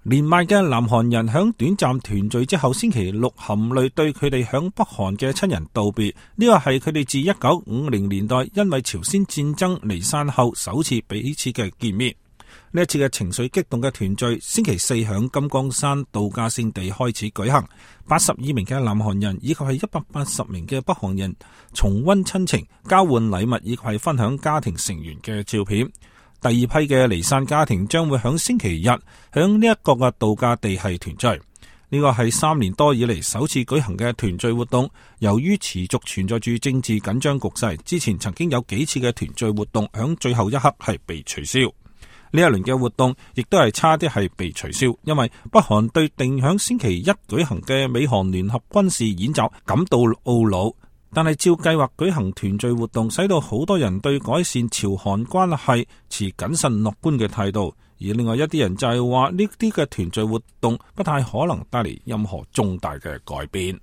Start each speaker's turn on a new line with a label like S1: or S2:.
S1: 連麥嘅南韓人響短暫團聚之後，星期六含淚對佢哋響北韓嘅親人道別。呢個係佢哋自1950年代因為朝鮮戰爭離散後首次彼此嘅見面。呢一次嘅情緒激動嘅團聚，星期四響金剛山度假勝地開始舉行。82名嘅南韓人以及係180名嘅北韓人重溫親情、交換禮物以及係分享家庭成員嘅照片。第二批嘅離散家庭將會響星期日響呢一個嘅度假地係團聚。呢個係3年多以嚟首次舉行嘅團聚活動。由於持續存在住政治緊張局勢，之前曾經有幾次嘅團聚活動響最後一刻係被取消。呢一輪嘅活動亦都係差啲係被取消，因為北韓對定響星期一舉行嘅美韓聯合軍事演習感到懊惱。但係照計劃舉行團聚活動，使到好多人對改善朝韓關係持謹慎樂觀嘅態度，而另外一啲人就係話呢啲嘅團聚活動不太可能帶嚟任何重大嘅改變。